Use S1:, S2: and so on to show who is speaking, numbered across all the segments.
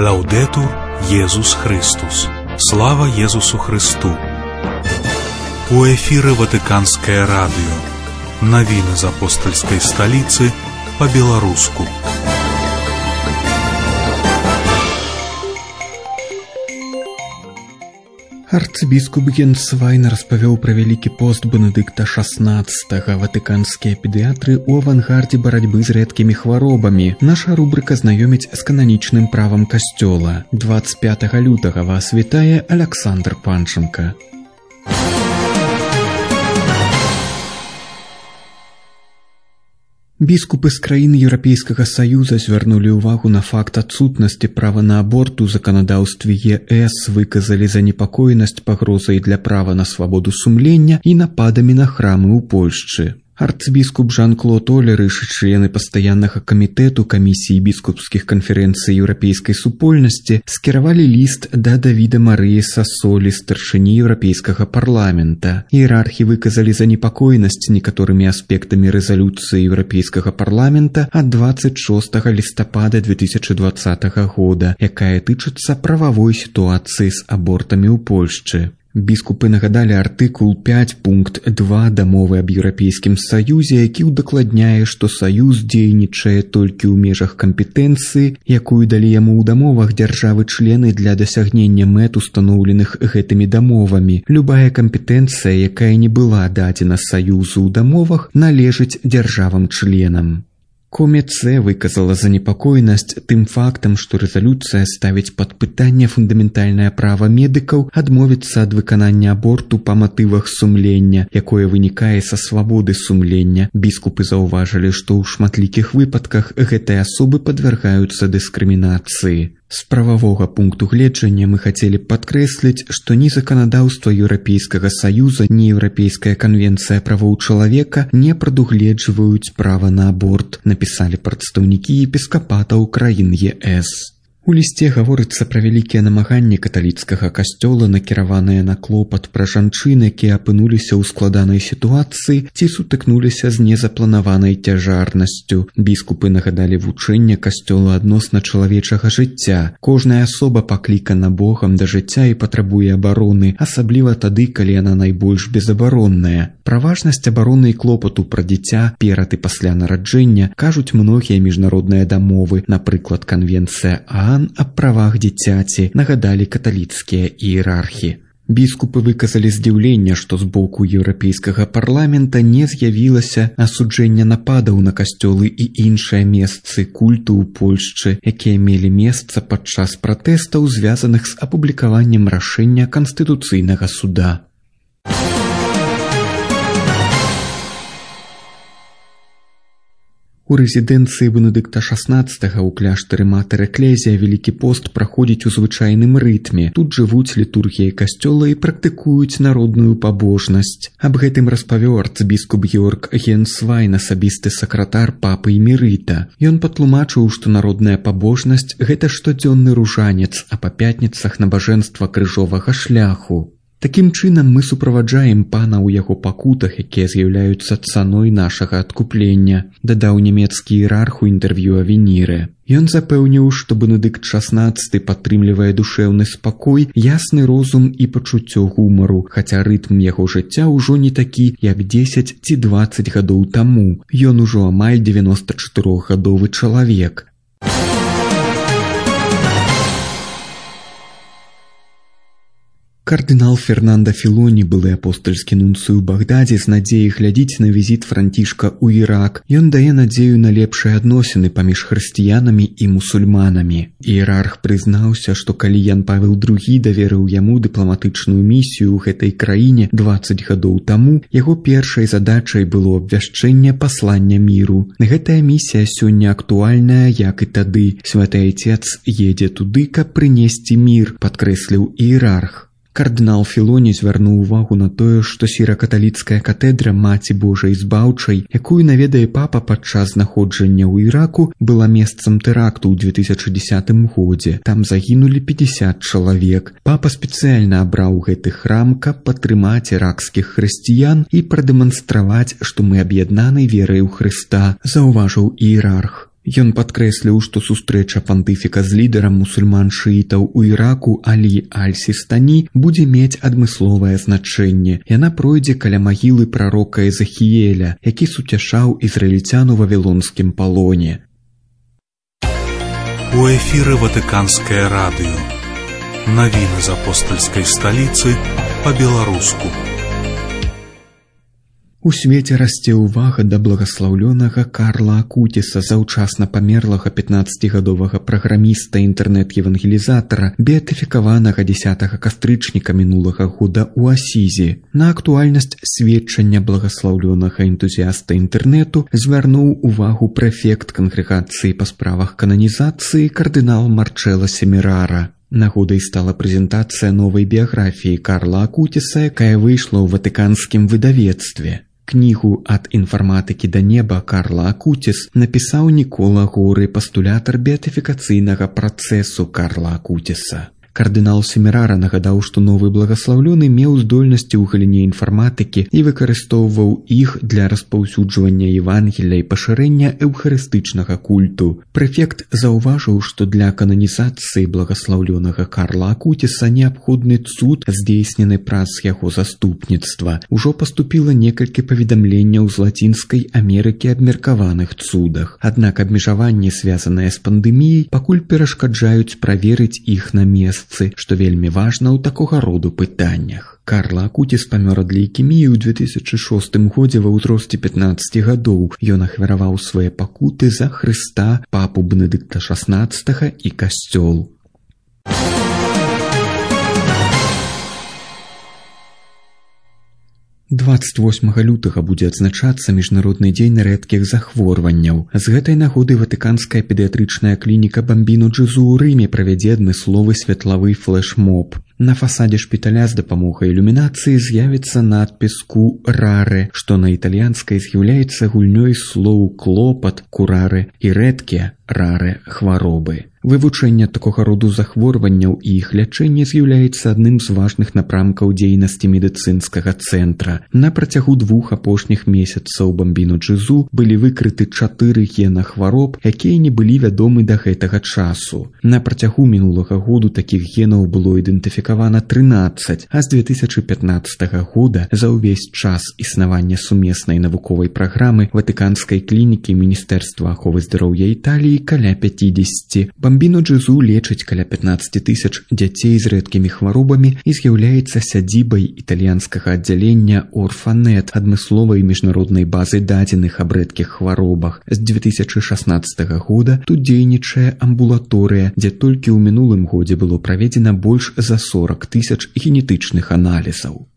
S1: Лаўдетур Езус Христус. Слава Езусу Христу. У эфіры Ватыканскае радыё. Навіны з апостальскай сталіцы па-беларуску.
S2: Арцыбіскуп Генсвайн распавёў пра вялікі пост Бенедыкта XVI. Ватыканскія педыятры ў авангардзе барацьбы з рэдкімі хваробамі. Наша рубрыка знаёміць з кананічным правам касцёла. 25 лютага вас вітае Аляксандр Панченка. Біскупы з краін Еўрапейскага Саюза звярнулі ўвагу на факт адсутнасці права на аборт у заканадаўстве ЕС, выказалі занепакоенасць пагрозай для права на свабоду сумлення і нападамі на храмы ў Польшчы. Арцыбіскуп Жан-Клод Олерыш і члены пастаяннага камітэту камісіі біскупскіх канферэнцый еўрапейскай супольнасці скіравалі ліст да Давіда Марыі Сасолі, старшыні еўрапейскага парламента. Іерархі выказалі занепакоенасць некаторымі аспектамі рэзалюцыі еўрапейскага парламента ад 26 лістапада 2020 года, якая тычыцца прававой сітуацыі з абортамі ў Польшчы. Біскупы нагадалі артыкул 5 пункт 2 дамовы аб Еўрапейскім Саюзе, які ўдакладняе, што Саюз дзейнічае толькі ў межах кампетэнцыі, якую далі яму ў дамовах дзяржавы-члены для дасягнення мэт, устаноўленых гэтымі дамовамі. Любая кампетэнцыя, якая не была дадзена Саюзу ў дамовах, належыць дзяржавам-членам. Коміце выказала занепакоенасць тым фактам, што рэзалюцыя ставіць пад пытанне фундаментальнае права медыкаў адмовіцца ад выканання аборту па матывах сумлення, якое вынікае са свабоды сумлення. Біскупы заўважылі, што ў шматлікіх выпадках гэтыя асобы падвяргаюцца дыскрымінацыі. З прававога пункту гледжання мы хацелі падкрэсліць, што ні заканадаўства Еўрапейскага Саюза, ні Еўрапейская канвенцыя правоў чалавека не прадугледжваюць права на аборт, напісалі прадстаўнікі епіскапатаў краін ЕС. У лісце гаворыцца пра вялікія намаганні каталіцкага касцёла, накіраваныя на клопат пра жанчын, якія апынуліся ў складанай сітуацыі ці сутыкнуліся з незапланаванай цяжарнасцю. Біскупы нагадалі вучэнне касцёла адносна чалавечага жыцця. Кожная асоба паклікана Богам да жыцця і патрабуе абароны, асабліва тады, калі яна найбольш безабаронная. Пра важнасць абароны і клопату пра дзіця перад і пасля нараджэння кажуць многія міжнародныя дамовы, напрыклад, канвенцыя ААН аб правах дзіцяці, нагадалі каталіцкія іерархі. Біскупы выказалі здзіўленне, што з боку Еўрапейскага парламента не з'явілася асуджэння нападаў на касцёлы і іншыя месцы культу ў Польшчы, якія мелі месца падчас пратэстаў, звязаных з апублікаваннем рашэння Канстытуцыйнага суда. У рэзідэнцыі Бенедыкта XVI ў кляштары Матэр Эклезія Вялікі пост праходзіць у звычайным рытме. Тут жывуць літургіяй касцёла і практыкуюць народную пабожнасць. Аб гэтым распавёў арцыбіскуп Георг Генсвайн, асабісты сакратар папы Эмерыта. Ён патлумачыў, што народная пабожнасць – гэта штодзённы ружанец, а па пятніцах набажэнства крыжовага шляху. Такім чынам мы суправаджаем пана ў яго пакутах, якія з'яўляюцца цаной нашага адкуплення, дадаў нямецкі іерарх у інтэрв'ю Авенірэ. Ён запэўніў, што Бенедыкт XVI падтрымлівае душэўны спакой, ясны розум і пачуццё гумару, хаця рытм яго жыцця ўжо не такі, як 10 ці 20 гадоў таму. Ён ужо амаль 94-гадовы чалавек. Кардынал Фернандо Філоні, былы апостальскі нунцый у Багдадзе, з надзеяй глядзіць на візіт Францішка ў Ірак. Ён дае надзею на лепшыя адносіны паміж хрысціянамі і мусульманамі. Іерарх прызнаўся, што калі Ян Павел II даверыў яму дыпламатычную місію ў гэтай краіне 20 гадоў таму, яго першай задачай было абвяшчэнне паслання міру. Гэтая місія сёння актуальная, як і тады. Святы Айцец едзе туды, каб прынесці мір, падкрэсліў іерарх. Кардынал Філоні звярнуў увагу на тое, што сіра-каталіцкая катэдра Маці Божай Збаўчай, якую наведае папа падчас знаходжання ў Іраку, была месцам тэракту ў 2010 годзе. Там загінулі 50 чалавек. Папа спецыяльна абраў гэты храм, каб падтрымаць іракскіх хрысціян і прадэманстраваць, што мы аб'яднаны верай у Хрыста, заўважыў іерарх. Ён падкрэсліў, што сустрэча пантыфіка з лідарам мусульман-шыітаў у Іраку Алі аль-Сістані будзе мець адмысловае значэнне. Яна пройдзе каля магілы прарока Езахіеля, які суцяшаў ізраільцян у вавілонскім палоне.
S1: У эфіры Ватыканскае радыё. Навіны з апостальскай сталіцы па-беларуску.
S2: У свеце расце ўвага да благаслаўлёнага Карла Акуціса, заўчасна памерлага 15гадовага праграміста інтэрнэт-евангелізатара, беатыфікаванага 10 кастрычніка мінулага года ў Асізі. На актуальнасць сведчання благаслаўлёнага энтузіяста інтэрнэту звярнуў увагу прэфект кангрэгацыі па справах кананізацыі кардынал Марчэло Семерара. Нагодай стала прэзентацыя новай біяграфіі Карла Акуціса, якая выйшла ў ватыканскім выдавецтве. Кнігу «Ад інфарматыкі да неба» Карла Акуціс напісаў Нікола Горы, пастулятар беатыфікацыйнага працэсу Карла Акуціса. Кардынал Семерара нагадаў, што новы благаслаўлёны меў здольнасці ў галіне інфарматыкі і выкарыстоўваў іх для распаўсюджвання Евангелля і пашырэння эўхарыстычнага культу. Прэфект заўважыў, што для кананізацыі благаслаўлёнага Карла Акуціса неабходны цуд, здзейснены праз яго заступніцтва. Ужо паступіла некалькі паведамленняў з Лацінскай Амерыкі аб меркаваных цудах. Аднак абмежаванні, звязаныя з пандэміяй, пакуль перашкаджаюць праверыць іх на месцы, што вельмі важна ў такога роду пытаннях. Карла Акуціс памёр ад лейкеміі ў 2006 годзе ва ўзросце 15 гадоў. Ён ахвяраваў свае пакуты за Хрыста, папу Бенедыкта XVI і касцёл. 28 лютага будзе адзначацца міжнародны дзень рэдкіх захворванняў. З гэтай нагоды ватыканская педыятрычная клініка Бамбіно Джезу ў Рыме правядзе адмысловы светлавы флэш-моб. На фасадзе шпіталя з дапамогай ілюмінацыі з'явіцца надпіс «Кураре», што на італьянскай з'яўляецца гульнёй слоў «клопат», «кураре» і «рэдкія», «раре» хваробы. Вывучэнне такога роду захворванняў і іх лячэнне з'яўляецца адным з важных напрамкаў дзейнасці медыцынскага цэнтра. На працягу 2 апошніх месяцаў Бамбіно Джезу былі выкрыты 4 гена хвароб, якія не былі вядомы да гэтага часу. На працягу мінулага году такіх генаў было ідэнтыфікавана 13, а з 2015 года за ўвесь час існавання сумеснай навуковай праграмы ватыканскай клінікі Міністэрства аховы здароўя Італіі каля 50. Бамбіно Джезу лечыць каля 15 000 дзяцей з рэдкімі хваробамі і з'яўляецца сядзібай італьянскага аддзялення Орфанет, адмысловай міжнароднай базы дадзеных аб рэдкіх хваробах. З 2016 года тут дзейнічае амбулаторыя, дзе толькі ў мінулым годзе было праведзена больш за 40 000 генетычных аналізаў.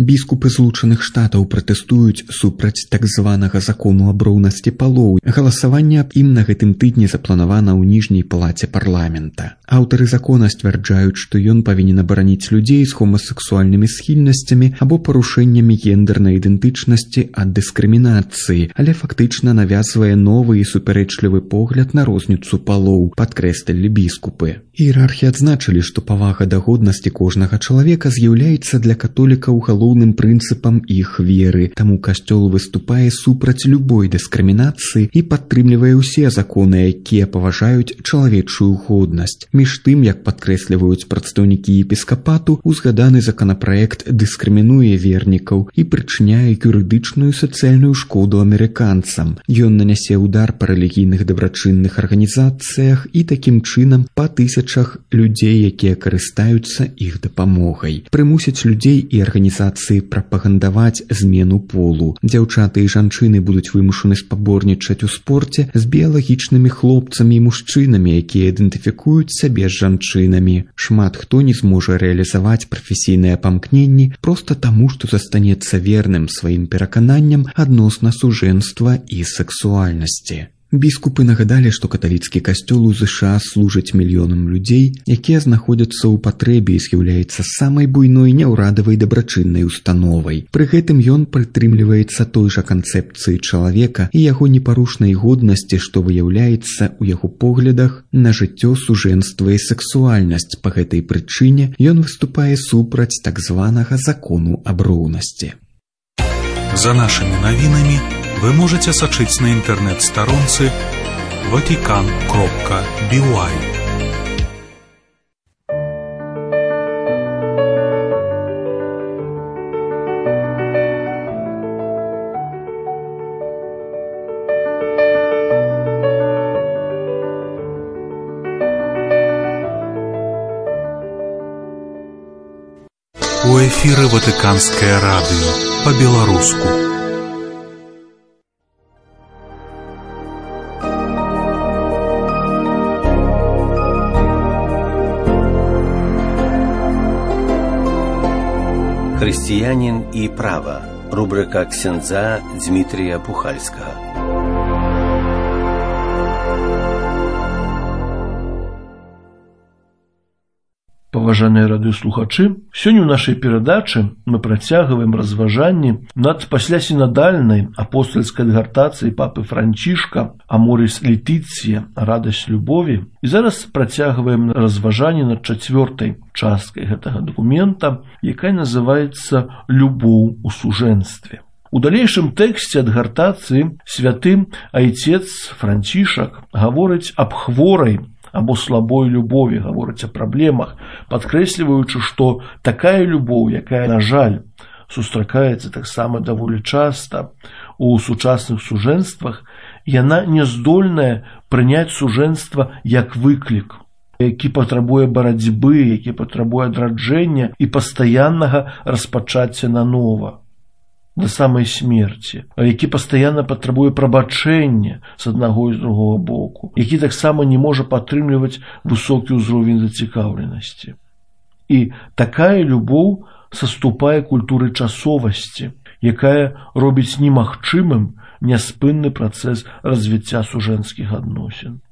S2: Біскупы Злучаных Штатаў пратэстуюць супраць так званага закону аб роўнасці палоў. Галасаванне аб ім на гэтым тыдні запланавана ў ніжняй палаце парламента. Аўтары закона сцвярджаюць, што ён павінен абараніць людзей з гомасексуальнымі схільнасцямі або парушэннямі гендэрнай ідэнтычнасці ад дыскрымінацыі, але фактычна навязвае новы і супярэчлівы погляд на розніцу палоў, падкрэслілі біскупы. Іерархі адзначылі, што павага да годнасці кожнага чалавека з'яўляецца для католікаў галоўным прынцыпам іх веры, таму касцёл выступае супраць любой дыскрымінацыі і падтрымлівае ўсе законы, якія паважаюць чалавечую годнасць. Між тым, як падкрэсліваюць прадстаўнікі епіскапату, узгаданы законапраект дыскрымінуе вернікаў і прычыняе юрыдычную сацыяльную шкоду амерыканцам. Ён нанясе ўдар па рэлігійных дабрачынных арганізацыях і такім чынам па тысячах людзей, якія карыстаюцца іх дапамогай. Прымусіць людзей і арганізацыі прапагандаваць змену полу. Дзяўчаты і жанчыны будуць вымушаны спаборнічаць у спорце з біялагічнымі хлопцамі і мужчынамі, якія ідэнтыфікуюць сябе з жанчынамі. Шмат хто не зможа рэалізаваць прафесійныя памкненні проста таму, што застанецца верным сваім перакананням адносна сужэнства і сексуальнасці. Біскупы нагадалі, што каталіцкі касцёл у ЗША служыць мільёнам людзей, якія знаходзяцца ў патрэбе і з'яўляецца самай буйной няўрадавай дабрачыннай установай. Пры гэтым ён прытрымліваецца той жа канцэпцыі чалавека і яго непарушнай годнасці, што выяўляецца ў яго поглядах на жыццё, сужэнства і сексуальнасць. Па гэтай прычыне ён выступае супраць так званага закону аб роўнасці.
S1: За нашими навінамі вы можете сачыць на інтэрнэт-старонцы vatican.by. У эфіры Ватыканскае радыё па-беларуску.
S3: Христианин и право. Рубрика ксяндза Дмитрия Пухальского.
S4: Паважаныя радыёслухачы, сёння ў нашай перадачы мы працягваем разважанні над паслясінадальнай апостальскай адгартацыяй папы Францішка «Аморис Летиция. Радасць любові». І зараз працягваем разважанні над чацвёртай часткай гэтага дакумента, якая называецца «Любоў у сужэнстве». У далейшым тэксце адгартацыі святы айцец Францішак гаворыць аб хворай або слабой любові, гаворыць о праблемах, падкрэсліваючы, што такая любоў, якая, на жаль, сустракаецца таксама даволі часта у сучасных сужэнствах, яна не здольная прыняць сужэнства як выклік, які патрабуе барацьбы, які патрабуе адраджэння і пастаяннага распачацця нанова да самай смерці, які пастаянна патрабуе прабачэння з аднаго і з другога боку, які таксама не можа падтрымліваць высокі ўзровень зацікаўленасці. І такая любоў саступае культуры часовасці, якая робіць немагчымым няспынны працэс развіцця сужэнскіх адносін.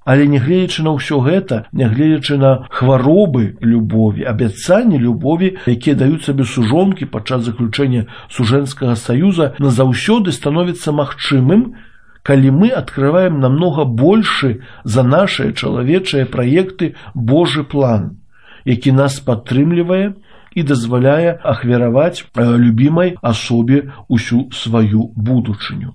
S4: Але нягледзячы на ўсё гэта, нягледзячы на хваробы любові, абяцанні любові, якія даюць сабе сужонкі падчас заключэння сужэнскага саюза, назаўсёды становіцца магчымым, калі мы адкрываем намнога большы за нашыя чалавечыя праекты Божы план, які нас падтрымлівае і дазваляе ахвяраваць любімай асобе усю сваю будучыню.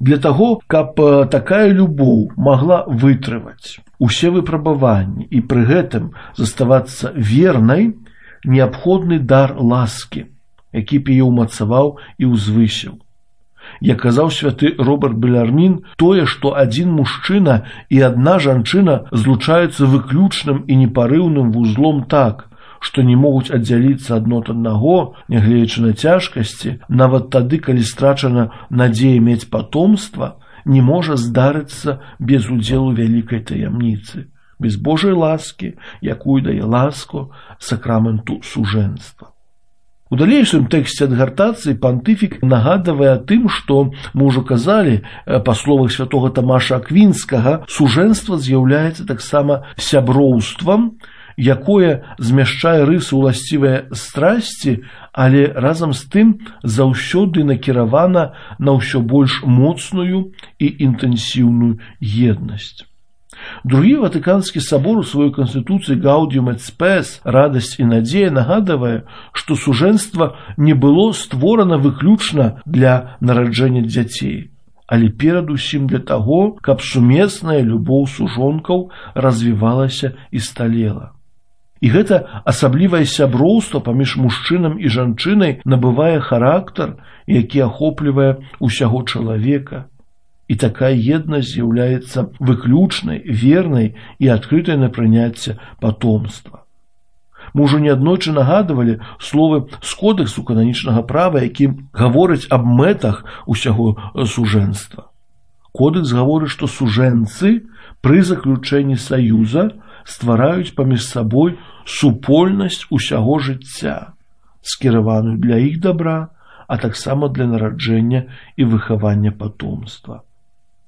S4: Для таго, каб такая любоў магла вытрываць усе выпрабаванні і пры гэтым заставацца вернай, неабходны дар ласкі, які б яе ўмацаваў і ўзвысіў. Як казаў святы Роберт Белярмін, тое, што адзін мужчына і адна жанчына злучаюцца выключным і непарыўным вузлом так, што не могуць аддзяліцца адно ад аднаго, нягледзячы на цяжкасці, нават тады, калі страчана надзея мець патомства, не можа здарыцца без удзелу вялікай таямніцы, без Божай ласкі, якую дае ласку сакраменту сужэнства. У далейшым тэксце адгартацыі пантыфік нагадвае тым, што мы ўжо казалі, па словах святога Тамаша Аквінскага, сужэнства з'яўляецца таксама сяброўствам, якое змяшчае рысы ўласцівыя страсці, але разам з тым заўсёды накіравана на ўсё больш моцную і інтэнсіўную еднасць. Другі Ватыканскі сабор у сваёй канстытуцыі Gaudium et Spes, радасць і надзея, нагадвае, што сужэнства не было створана выключна для нараджэння дзяцей, але перадусім для таго, каб сумесная любоў сужонкаў развівалася і сталела. І гэта асаблівае сяброўства паміж мужчынам і жанчынай набывае характар, які ахоплівае усяго чалавека. І такая еднасць з'яўляецца выключнай, вернай і адкрытай на прыняцце патомства. Мы ўжо неаднойчы нагадвалі словы з кодэксу кананічнага права, які гаворыць аб мэтах усяго сужэнства. Кодэкс гаворыць, што сужэнцы пры заключэнні саюза ствараюць паміж сабой супольнасць усяго жыцця, скіраваную для іх дабра, а таксама для нараджэння і выхавання патомства.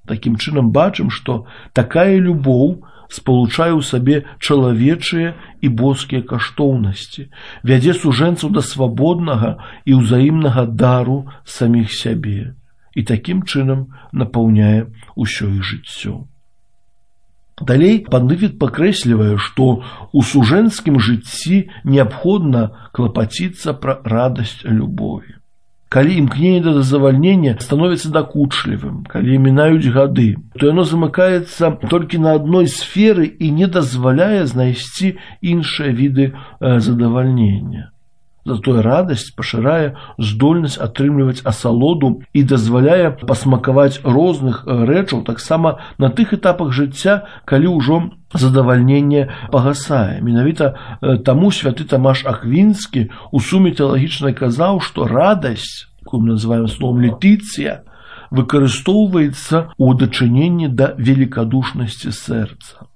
S4: Такім чынам бачым, што такая любоў спалучае ў сабе чалавечыя і боскія каштоўнасці, вядзе сужэнцаў да свабоднага і ўзаемнага дару саміх сябе і такім чынам напаўняе ўсё іх жыццё. Далей пантыфік пакрэслівае, што ў сужэнскім жыцці неабходна клапаціцца пра радасць любові. Калі імкненне да задавальнення становіцца дакучлівым, калі мінаюць гады, то яно замыкаецца толькі на адной сферы і не дазваляе знайсці іншыя віды задавальнення. Затое радасць пашырае здольнасць атрымліваць асалоду і дазваляе пасмакаваць розных рэчаў таксама на тых этапах жыцця, калі ўжо задавальненне пагасае. Менавіта таму святы Тамаш Аквінскі у суме тэалагічнай казаў, што радасць, якую мы называем словом летыцыя, выкарыстоўваецца ў дачыненні да великадушнасці сэрца.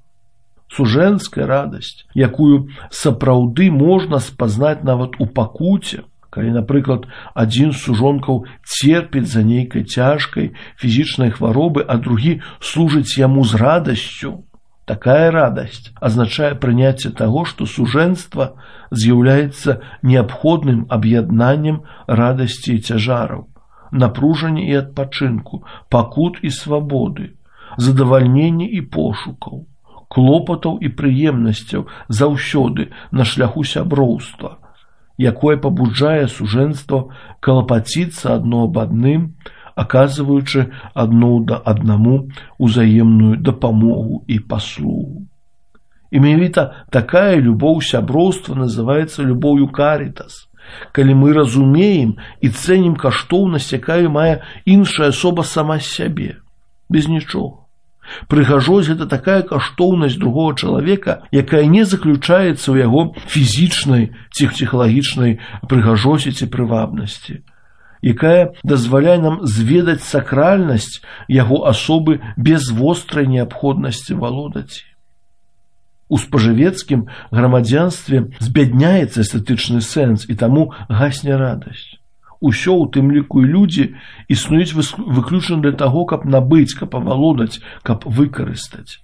S4: Сужэнская радасць, якую сапраўды можна спазнаць нават у пакуце, калі, напрыклад, адзін з сужонкаў церпіць за нейкай цяжкай фізічнай хваробы, а другі служыць яму з радасцю. Такая радасць азначае прыняцце таго, што сужэнства з'яўляецца неабходным аб'яднаннем радасці і цяжараў, напружання і адпачынку, пакут і свабоды, задавальнення і пошукаў, клопатаў і прыемнасцяў заўсёды на шляху сяброўства, якое пабуджае сужэнства калапаціцца адно аб адным, аказваючы адно аднаму узаемную дапамогу і паслугу. І менавіта такая любоў сяброўства называецца любоўю карітас, калі мы разумеем і цэнім каштоўнасць, якая мае іншая асоба сама сябе, без нічога. Прыгажосць – гэта такая каштоўнасць другого чалавека, якая не заключаецца ў яго фізічнай ці псіхалагічнай прыгажосці ці прывабнасці, якая дазваляе нам зведаць сакральнасць яго асобы без вострай неабходнасці валодаць. У спажывецкім грамадзянстве збядняецца эстэтычны сэнс, і таму гасне радасць. Усё, у тым ліку і людзі, існуюць выключна для таго, каб набыць, каб авалодаць, каб выкарыстаць.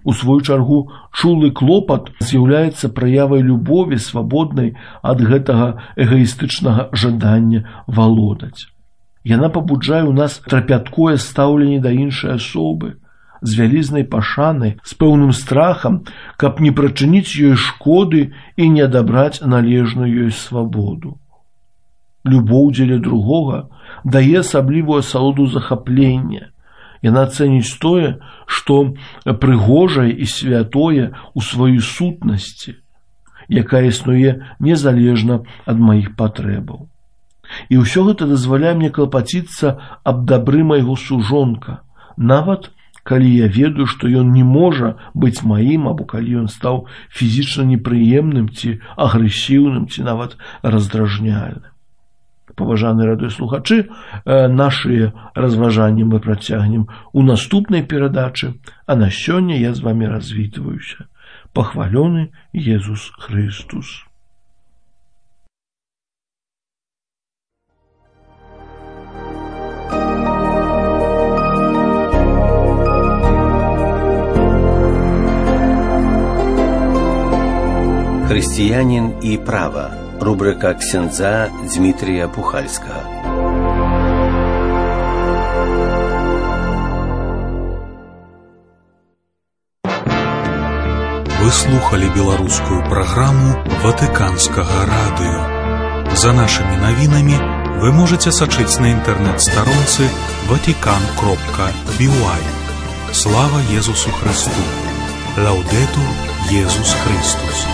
S4: У сваю чаргу, чулы клопат з'яўляецца праявай любові, свабоднай ад гэтага эгаістычнага жадання валодаць. Яна пабуджае ў нас трапяткое стаўленне да іншай асобы, з вялізнай пашанай, з пэўным страхам, каб не прачыніць ёй шкоды і не адабраць належную ёй свабоду. Любоў дзеля другога дае асаблівую асалоду захаплення. Яна цэніць тое, што прыгожае і святое ў сваёй сутнасці, якая існуе незалежна ад маіх патрэбаў. І ўсё гэта дазваляе мне клапаціцца аб дабры майго сужонка, нават калі я ведаю, што ён не можа быць маім, або калі ён стаў фізічна непрыемным ці агрэсіўным, ці нават раздражняльным. Паважаныя радыёслухачы, нашыя разважанні мы працягнем у наступнай перадачы, а на сёння я з вамі развітваюся. Пахвалёны Езус Христус.
S3: Христианин и право. Рубрика ксяндза Дмитрия Пухальского.
S1: Вы слухали беларускую праграму Ватыканскага радыё. За нашими навінамі вы можете сачыць на інтэрнэт-старонцы vatican.by. Слава Езусу Христу! Лаудетур Езус Христус!